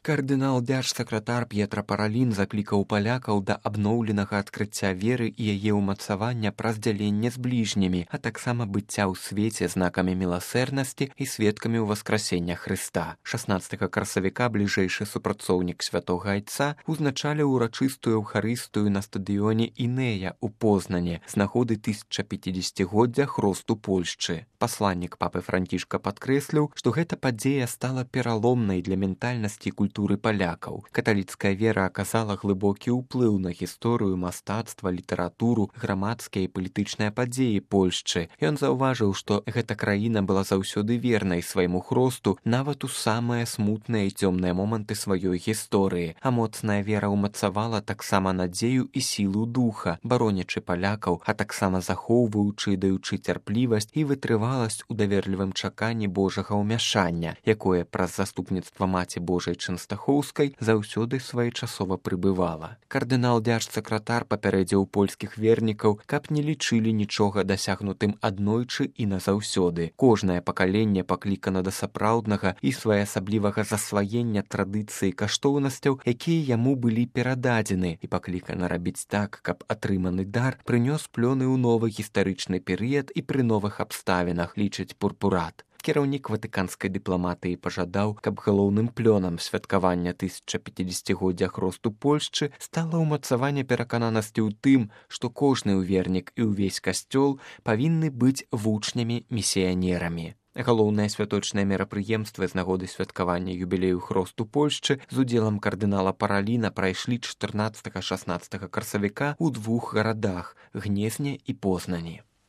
Кардынал дзяржсакратар П'етра Паралін заклікаў палякаў да абноўленага адкрыцця веры і яе ўмацавання праз дзяленне з бліжнімі, а таксама быцця ў свеце знакамі міласэрнасці і сведкамі ўваскрасення Хрыста. 16 красавіка бліжэйшы супрацоўнік святога Айца узначаліў урачыстую эўхарыстыю на стадыёне Інея ў Познане з нагоды 1050-годдзя хросту Польшчы. Пасланнік папы Францішка падкрэсліў, што гэта падзея стала пераломнай для ментальнасці і культуры палякаў. Каталіцкая вера аказала глыбокі ўплыў на гісторыю, мастацтва, літаратуру, грамадскія і палітычныя падзеі Польшчы. Ён заўважыў, што гэта краіна была заўсёды вернай свайму хросту нават у самыя смутныя і цёмныя моманты сваёй гісторыі, а моцная вера ўмацавала таксама надзею і сілу духа, баронячы палякаў, а таксама захоўваючы і даючы цярплівасць і вытрываласць у даверлівым чаканні Божага ўмяшання, якое праз заступніцтва Маці Божай Чэнстахоўскай заўсёды своечасова прыбывала. Кардынал дзяржсакратар папярэдзіў польскіх вернікаў, каб не лічылі нічога дасягнутым аднойчы і назаўсёды. Кожнае пакаленне паклікана да сапраўднага і своеасаблівага засваення традыцыі каштоўнасцяў, якія яму былі перададзены, і паклікана рабіць так, каб атрыманы дар прынёс плёны ў новы гістарычны перыяд і пры новых абставінах, лічыць Пурпурат. Кіраўнік ватыканскай дыпламатыі пажадаў, каб галоўным плёнам святкавання 1050-годдзя хросту Польшчы стала ўмацаванне перакананасці ў тым, што кожны ўвернік і ўвесь касцёл павінны быць вучнямі місіянерамі. Галоўныя святочныя мерапрыемствы з нагоды святкавання юбілею хросту Польшчы з удзелам кардынала Параліна прайшлі 14-16 красавіка ў двух гарадах – Гнезне і Познані.